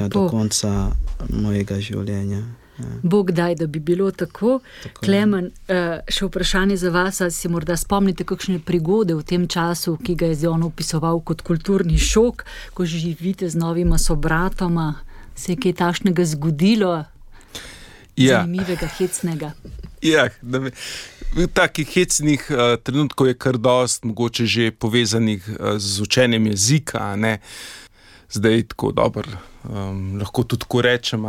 Do konca mojega življenja. Ja. Bog daj, da bi bilo tako. Klemen, še vprašanje za vas, ali si morda spomnite kakšne prigode v tem času, ki ga je on opisoval kot kulturni šok, ko živite z novima sobratoma, se je kaj takšnega zgodilo? Zanimivega, hecnega. Takih hecnih trenutkov je kar dost, mogoče že povezanih z učenjem jezika, ne? Zdaj tako dobro, lahko tudi tako rečem,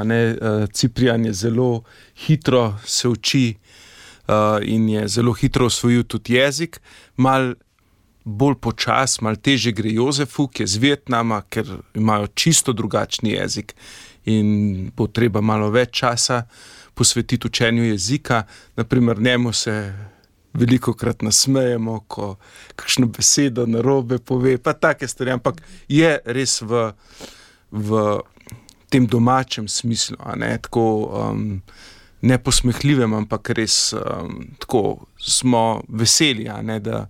Ciprian je zelo hitro se uči in je zelo hitro osvojil tudi jezik, mal bolj počas, mal teže gre Jozefu, ki je z Vietnama, ker imajo čisto drugačni jezik in bo treba malo več časa posvetiti učenju jezika. Naprimer, njemu se velikokrat nasmejemo, ko kakšno besedo narobe pove, pa take stvari, ampak je res v tem domačem smislu, tako neposmehljivem, ampak res tako smo veseli, da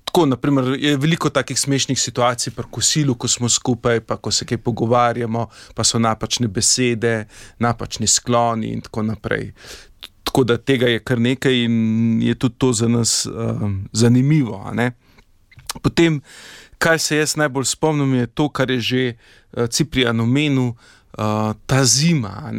tako, naprimer, je veliko takih smešnih situacij pri kosilu, ko smo skupaj, pa ko se kaj pogovarjamo, pa so napačne besede, napačni skloni in tako naprej. Tako da tega je kar nekaj in je tudi to za nas zanimivo. Potem, kaj se jaz najbolj spomnim, je to, kar je že Ciprian omenil, ta zima.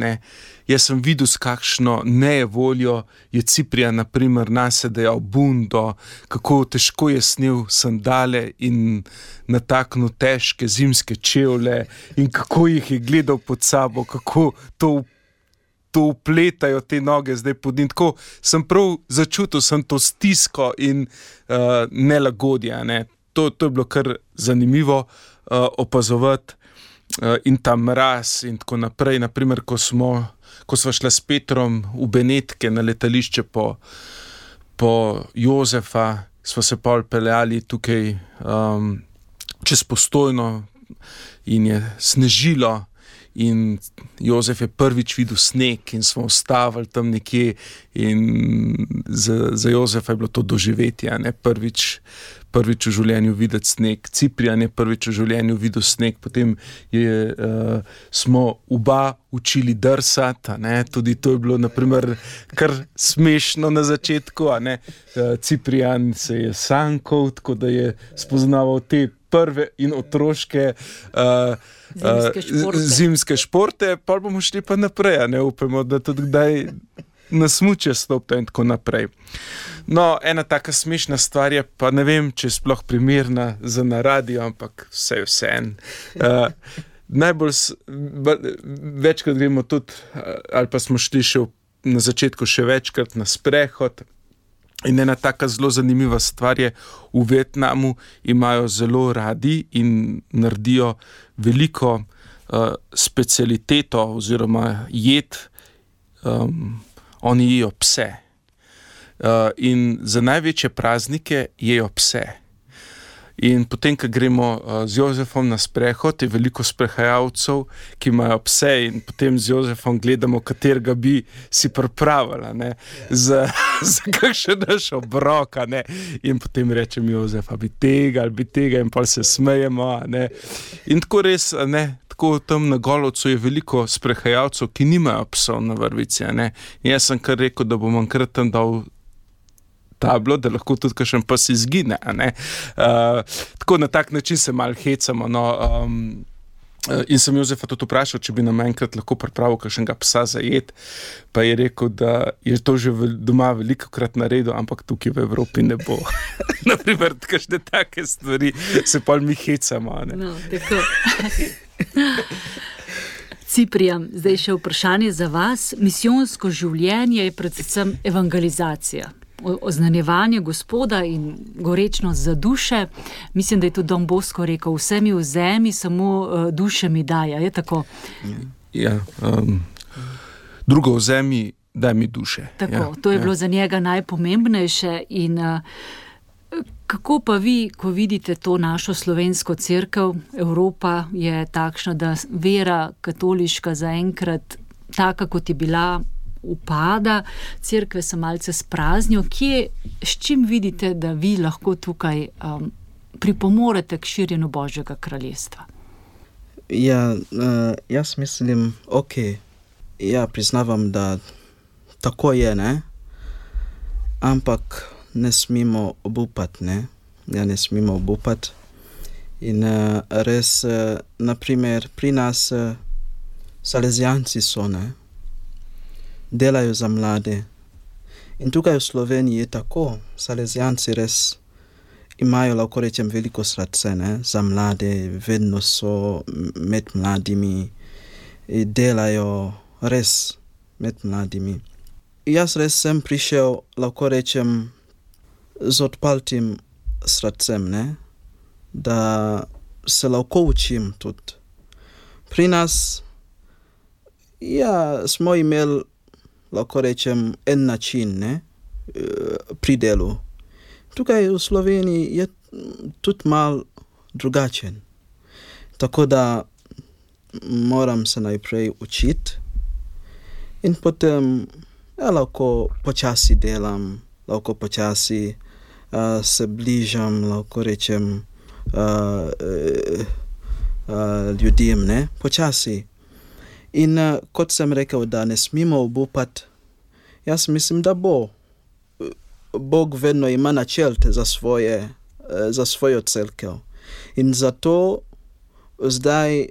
Jaz sem videl, s kakšno nejevoljo je Ciprian naprimer nase dejal bundo, kako težko je snel sandale in nataknil težke zimske čevlje in kako jih je gledal pod sabo, kako to upletajo te noge zdaj pod njim. Tako sem prav začutil, sem to stisko in nelagodje. To je bilo kar zanimivo opazovati in ta mraz in tako naprej. Naprimer, ko sva šla s Petrom v Benetke na letališče po Jozefa, sva se pol peljali tukaj čez Postojno in je snežilo. In Jozef je prvič videl sneg in smo ustavili tam nekje in za Jozefa je bilo to doživetje, prvič v življenju videti sneg. Ciprian je prvič v življenju videl sneg, potem smo oba učili drsati, tudi to je bilo naprimer kar smešno na začetku, Ciprian se je sankal, tako da je spoznaval te prve in otroške zimske športe, pa bomo šli pa naprej, upamo, da tudi kdaj na smuče stopite in tako naprej. No, ena taka smešna stvar je, pa ne vem, če je sploh primerna za na radio, ampak vse en. Večkrat gremo tudi, ali pa smo šli še na začetku še večkrat na sprehod. In ena taka zelo zanimiva stvar je, v Vietnamu imajo zelo radi in naredijo veliko specialiteto oziroma jed, oni jejo pse. In za največje praznike jejo pse. In potem, ko gremo z Jozefom na sprehod, je veliko sprehajalcev, ki imajo pse in potem z Jozefom gledamo, katerega bi si pripravila, ne, za kakšen naš obrok, ne. In potem rečem Jozef, ali bi tega in pol se smejemo, ne. In tako res, ne, tako tam na Golovcu je veliko sprehajalcev, ki nimajo psov na vrvici, ne. In jaz sem kar rekel, da bom enkrat tam dal tablo, da lahko tudi kakšen pes izgine, ne. Tako na tak način se malo hecamo, no. In sem Jozefa tudi vprašal, če bi nam enkrat lahko pripravil kakšnega psa za jed, pa je rekel, da je to že doma velikokrat naredil, ampak tukaj v Evropi ne bo. Naprimer, kakšne take stvari se pol mi hecamo, ne. No, tako. Ciprijan, zdaj še vprašanje za vas. Misijonsko življenje je predvsem evangelizacija. Oznanjevanje Gospoda in gorečnost za duše. Mislim, da je tudi Don Bosco rekel, vse mi vzemi, samo duše mi daja. Je tako? Ja, drugo vzemi, daj mi duše. Tako, ja, to je bilo za njega najpomembnejše. In kako pa vi, ko vidite to našo slovensko cerkev, Evropa je takšna, da vera katoliška zaenkrat taka, kot je bila, upada, cerkve se malce spraznijo. S čim vidite, da vi lahko tukaj pripomorete k širjenju Božjega kraljestva? Ja, jaz mislim, ja, priznavam, da tako je, ne? Ampak ne smemo obupati, ne? Ja, ne smemo obupati. In res, naprimer, pri nas Salezijanci so, ne? Delajo za mlade. In tukaj v Sloveniji je tako. Salezijanci res imajo, lahko rečem, veliko srce, ne, za mlade, vedno so med mladimi, delajo res med mladimi. Jaz res sem prišel, lahko rečem, z odprtim srcem, ne, da se lahko učim tudi. Pri nas, ja, smo imeli, lahko rečem, en način, ne, pri delu. Tukaj v Sloveniji je tudi malo drugačen. Tako da moram se najprej učiti in potem ja, lahko počasi delam, lahko počasi se bližam, lahko rečem, ljudem, ne, počasi. In kot sem rekel, da ne smemo obupati, jaz mislim, da Bog vedno ima načrt za svojo cerkev. In zato zdaj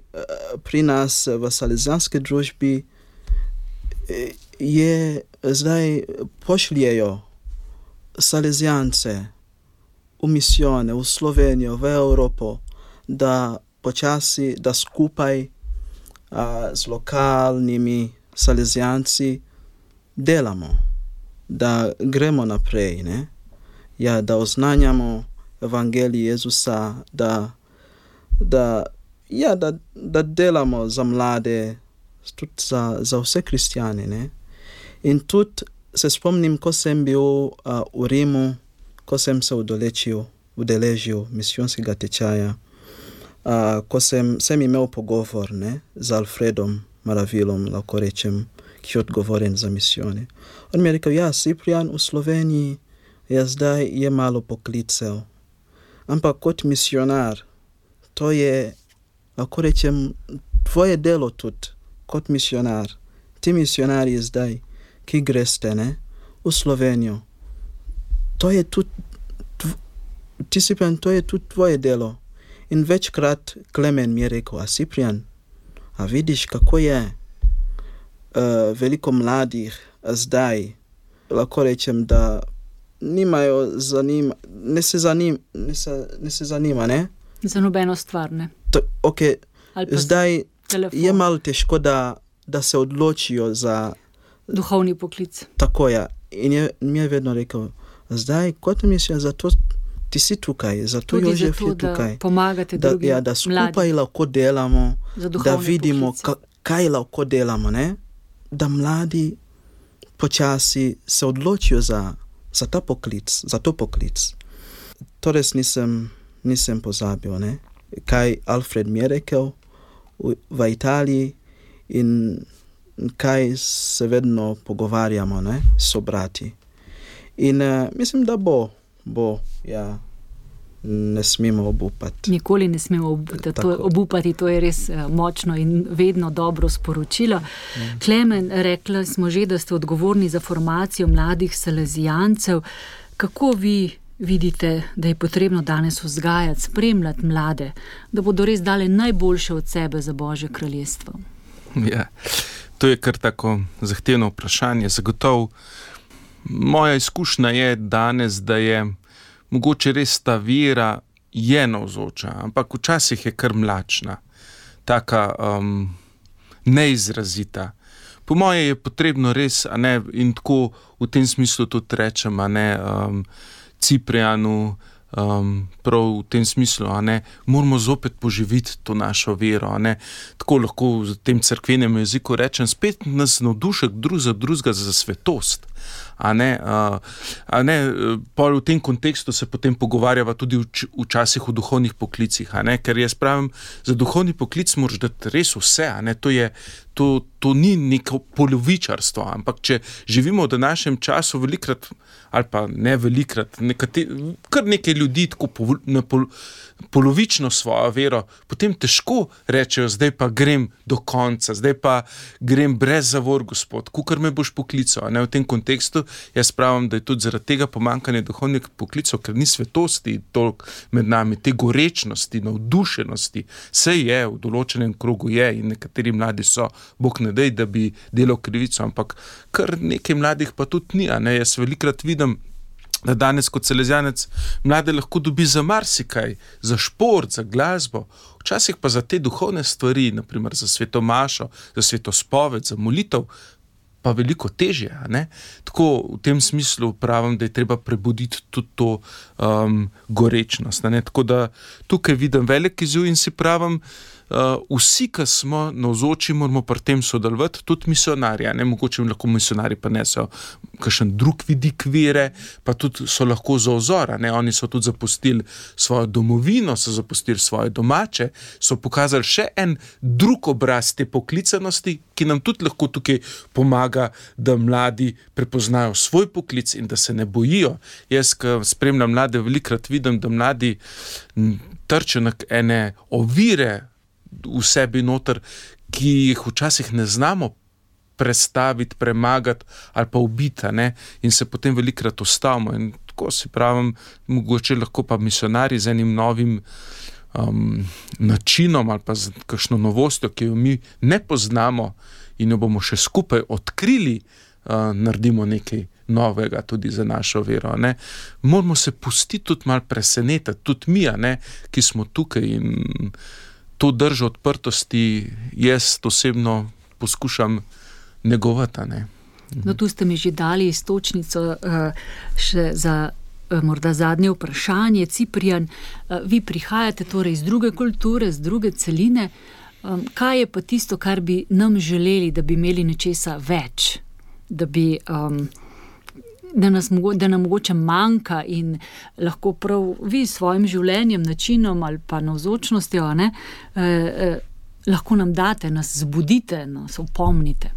pri nas v salezijanski družbi zdaj pošljejo salezijance v misijone, v Slovenijo, v Evropo, da počasi, da skupaj z lokalnimi salezijanci delamo, da gremo naprej, ne? Ja, da oznanjamo evangelij Jezusa, da delamo za mlade, tudi za vse kristjane, ne? In tudi se spomnim, ko sem bil v Rimu, ko sem se udeležil misijonskega tečaja, ko sem imel pogovor, ne, z Alfredom Maravilom, lahko rečem, ki je odgovoren za misijone. On mi je rekel, ja, Ciprijan, v Sloveniji zdaj je malo poklicev, ampak kot misionar, to je, lahko rečem, tvoje delo tudi, kot misionar. Ti misionarji zdaj, ki greste, ne, v Slovenijo, to je tudi, Ciprijan, to je tudi tvoje delo. In večkrat Klemen mi je rekel, Ciprijan, vidiš, kako je veliko mladih zdaj lahko rečem, da nimajo ne se zanima, ne? Za nobeno stvar, ne? Okay. Zdaj telefon. Je malo težko, da se odločijo za duhovni poklic. Tako je. In mi je vedno rekel, zdaj, kot misliš, zato ti si tukaj, zato Jožef je tukaj. Da pomagate drugim mladim. Da skupaj lahko delamo, da vidimo, kaj lahko delamo, ne? Da mladi počasi se odločijo za to poklic. To res nisem pozabil, ne? Kaj Alfred mi je rekel v Italiji in kaj se vedno pogovarjamo, ne? So brati. In mislim, da bo, ja, ne smemo obupati. Nikoli ne smemo obupati, to je res močno in vedno dobro sporočilo. Klemen, rekla smo že, da ste odgovorni za formacijo mladih salezijancev. Kako vi vidite, da je potrebno danes vzgajati, spremljati mlade, da bodo res dali najboljše od sebe za Božje kraljestvo? Ja, to je kar tako zahtevno vprašanje. Zagotovo moja izkušnja je danes, da je mogoče res ta vera je navzoča, ampak včasih je kar mlačna, taka neizrazita. Po moje je potrebno res, a ne, in tako v tem smislu tudi rečem, a ne, Ciprijanu, prav v tem smislu, a ne, moramo zopet poživiti to našo vero, a ne, tako lahko v tem cerkvenem jeziku rečem, spet nas navdušek drugega za svetost. A ne, pol v tem kontekstu se potem pogovarjava tudi včasih o duhovnih poklicih, a ne, ker jaz pravim, za duhovni poklic moraš dati res vse, a ne, to ni neko polovičarstvo, ampak če živimo v današnjem času velikrat, ali pa ne velikrat, kar nekaj ljudi tako polovično svojo vero, potem težko rečejo, zdaj pa grem do konca, zdaj pa grem brez zavor, Gospod, kukor me boš poklical, a ne, v tem kontekstu jaz pravim, da je tudi zaradi tega pomankanje duhovnih poklicov, ker ni svetosti toliko med nami, te gorečnosti, navdušenosti, vse je, v določenem krogu je in nekateri mladi so, Bog ne dej, da bi delal krivico, ampak kar nekaj mladih pa tudi ni, a ne, jaz velikrat vidim, da danes kot salezijanec mlade lahko dobi za marsikaj, za šport, za glasbo, včasih pa za te duhovne stvari, naprimer za svetomašo, za svetospoved, za molitev, pa veliko težje, a ne? Tako v tem smislu pravim, da je treba prebuditi tudi to gorečnost, a ne? Tako da tukaj vidim velik izziv in si pravim, vsi, ki smo navzoči, moramo pri tem sodelovati, tudi misionarji, ne, mogoče lahko misionarji pa neso kakšen drug vidik vere, pa tudi so lahko za vzor, ne, oni so tudi zapustili svojo domovino, so zapustili svoje domače, so pokazali še en drug obraz te poklicanosti, ki nam tudi lahko tukaj pomaga, da mladi prepoznajo svoj poklic in da se ne bojijo. Jaz, ko spremljam mlade, velikrat vidim, da mladi trčijo na ene ovire v sebi noter, ki jih včasih ne znamo prestaviti, premagati ali pa ubiti, ne? In se potem velikrat ustavimo. In tako si pravim, mogoče lahko pa misionarji z enim novim načinom ali pa z kakšno novostjo, ki jo mi ne poznamo in jo bomo še skupaj odkrili, naredimo nekaj novega tudi za našo vero, ne. Moramo se pustiti tudi malo presenetiti, tudi mi, ne, ki smo tukaj in to držo odprtosti jaz osebno poskušam negovati, ne. No, tu ste mi že dali iztočnico še za morda zadnje vprašanje. Ciprijan, vi prihajate torej iz druge kulture, z druge celine. Kaj je pa tisto, kar bi nam želeli, da bi imeli nečesa več? Da bi da nam mogoče manjka in lahko prav vi s svojim življenjem, načinom ali pa navzočnostjo, ne, lahko nam date, nas zbudite, nas opomnite.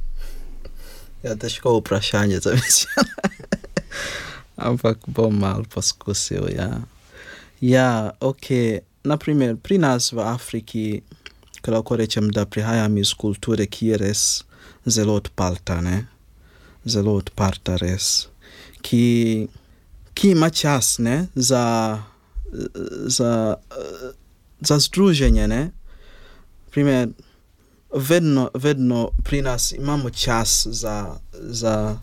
Ja, težko vprašanje za mislim. Ampak bom malo poskusil, ja. Ja, ok. Naprimer, pri nas v Afriki, ko lahko rečem, da prihajam iz kulture, ki je res zelo odprta, ne? Zelo odprta res. Ki ima čas, ne? Za združenje, ne? Primer, vedno pri nas imamo čas za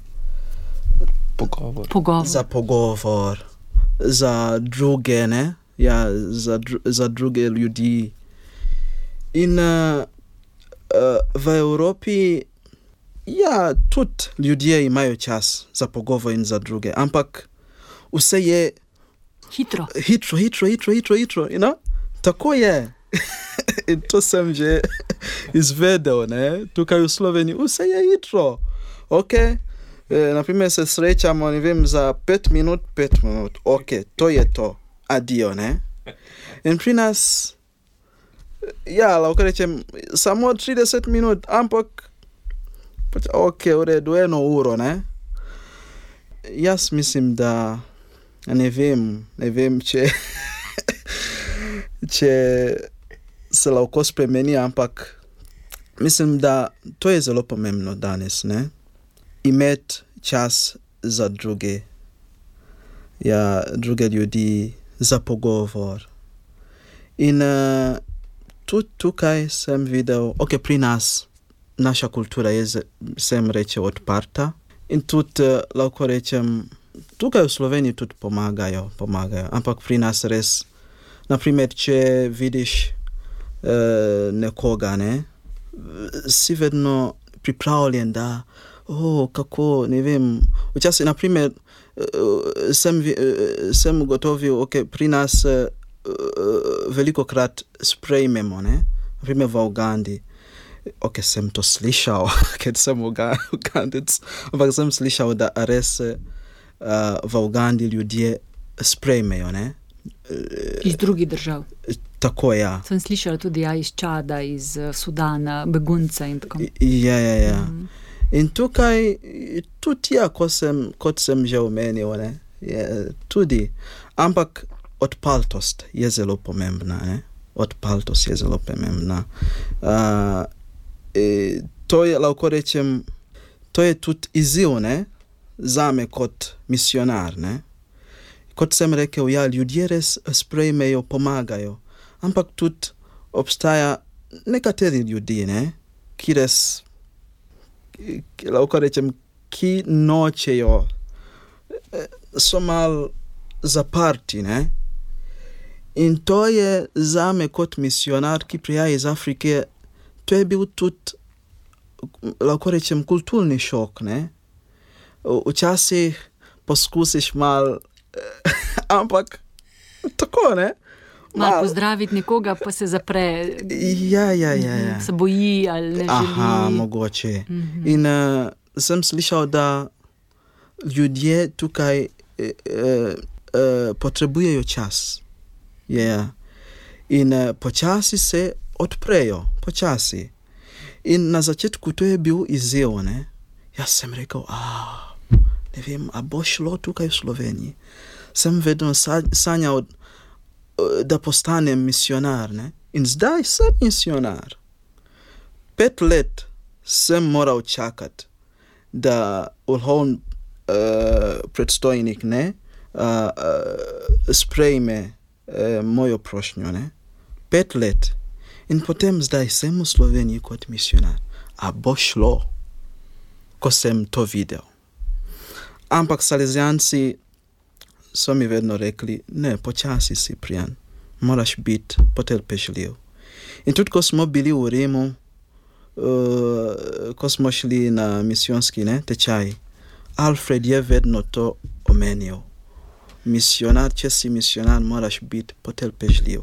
Za pogovor, za druge, ne? Ja, za druge ljudi. In v Evropi, ja, tudi ljudje imajo čas za pogovor in za druge, ampak vse je Hitro. Hitro, you know? Tako je. In to sem že izvedel, ne? Tukaj v Sloveniji, vse je hitro. Ok, naprimer se srečamo, ne vem, za 5 minut, ok, to je to, adio, ne? In pri nas, ja, lahko rečem, samo 30 minut, ampak, ok, v redu, 1 uro, ne? Jaz mislim, da, ne vem, če se lahko spremeni, ampak mislim, da to je zelo pomembno danes, ne? Imeti čas za druge, ja, druge ljudi, za pogovor. In tudi tukaj sem videl, ok, pri nas, naša kultura je, sem reče, odprta in tudi lahko rečem, tukaj v Sloveniji tudi pomagajo, ampak pri nas res, naprimer, če vidiš nekoga, ne, si vedno pripravljen, da, kako, ne vem, včasih, naprimer, sem ugotovil, ok, pri nas velikokrat sprejmemo, ne, naprimer v Ugandi, ok, sem to slišal, ker sem Ugandec, ampak sem slišal, da res v Ugandi ljudje sprejmejo, ne. Iz drugih držav. Tako, ja. Sem slišala tudi iz Čada, iz Sudana, begunca in tako. Ja. In tukaj, tudi ja, kot sem že omenil, ne, je tudi, ampak odprtost je zelo pomembna, ne. Odprtost je zelo pomembna. To je, lahko rečem, to je tudi izziv, ne, zame kot misionar, ne. Kot sem rekel, ja, ljudje res sprejmejo, pomagajo, ampak tudi obstaja nekateri ljudi, ne, ki res, lahko rečem, ki nočejo, so malo zaprti, ne. In to je zame kot misionar, ki prihaja iz Afrike, to je bil tudi, lahko rečem, kulturni šok, ne. Včasih poskusiš malo, ampak tako, ne. Malo pozdraviti nekoga, pa se zapre. Ja. Se boji ali ne želi. Aha, mogoče. In sem slišal, da ljudje tukaj potrebujejo čas. Ja. In počasi se odprejo, počasi. In na začetku to je bil izziv, ne. Jaz sem rekel, ne vem, a bo šlo tukaj v Sloveniji. Sem vedno sanjal, da postanem misionar, ne. In zdaj sem misionar. 5 let sem moral čakati, da vrhovni predstojnik, ne, sprejme mojo prošnjo, ne. 5 let. In potem zdaj sem v Sloveniji kot misionar. A bo šlo, ko sem to videl. Ampak Salezijanci so mi vedno rekli, ne, počasi si, Prijan, moraš biti potrpežljiv. In tudi, ko smo bili v Rimu, ko smo šli na misijonski, ne, tečaj, Alfred je vedno to omenil. Misionar, če si misionar, moraš biti potrpežljiv.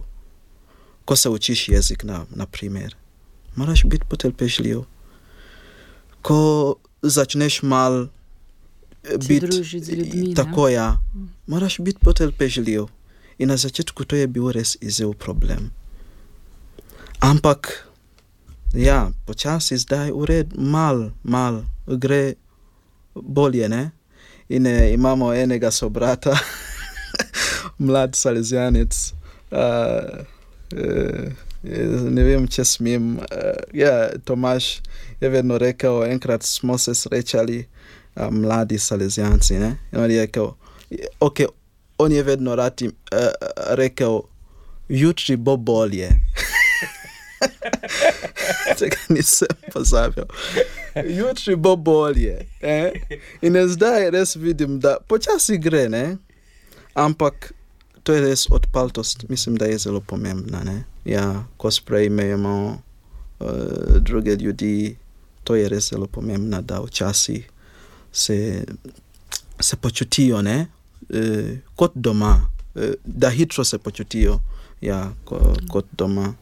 Ko se učiš jezik, na primer, moraš biti potrpežljiv. Ko začneš malo biti z ljudmi, tako, ja, moraš biti potrpežljiv. In na začetku to je bil res izziv, problem. Ampak, ja, počasi zdaj mal gre bolje, ne? In imamo enega sobrata, mlad Salezijanec, ne vem, če smem, ja, Tomaž je vedno rekel, enkrat smo se srečali, mladi Salezijanci, ne? In on je rekel, ok, on je vedno rad rekel, jutri bo bolje. Tega nisem pozabil. jutri bo bolje. In zdaj res vidim, da počasi gre, ne? Ampak to je res odpaltost, mislim, da je zelo pomembna, ne? Ja, ko sprejmemo druge ljudi, to je res zelo pomembno, da včasih se počutijo, ne? Kot doma, da hitro se počutijo, ja, kot doma.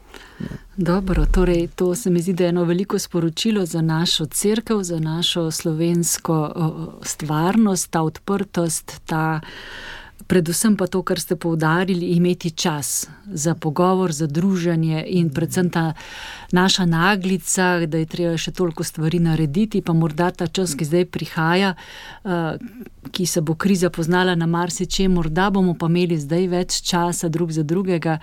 Dobro, torej to se mi zdi, da je eno veliko sporočilo za našo cerkev, za našo slovensko stvarnost, ta odprtost, predvsem pa to, kar ste poudarili, imeti čas za pogovor, za druženje in predvsem ta naša naglica, da je treba še toliko stvari narediti, pa morda ta čas, ki zdaj prihaja, ki se bo kriza poznala na marsičem, morda bomo pa imeli zdaj več časa drug za drugega,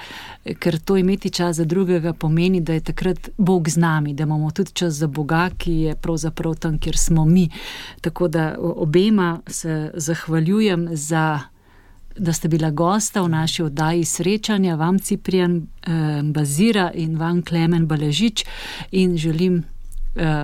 ker to imeti čas za drugega pomeni, da je takrat Bog z nami, da imamo tudi čas za Boga, ki je pravzaprav tam, kjer smo mi. Tako da obema se zahvaljujem da ste bila gosta v naši oddaji Srečanja, vam Ciprijan Bazira in vam Klemen Baležič, in želim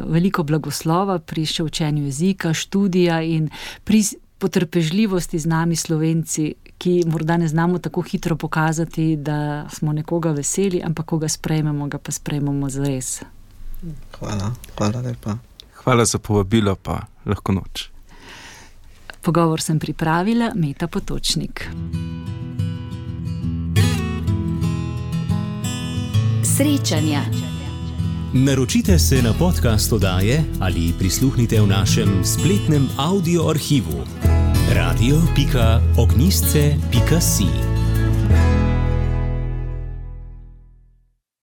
veliko blagoslova pri še učenju jezika, študija in pri potrpežljivosti z nami Slovenci, ki morda ne znamo tako hitro pokazati, da smo nekoga veseli, ampak ko ga sprejmemo, ga pa sprejmemo zares. Hvala lepa. Hvala za povabilo, pa lahko noč. Pogovor sem pripravila Meta Potočnik. Srečanja. Naročite se na podcast oddaje ali prisluhnite v našem spletnem audio arhivu radio.ognisce.si.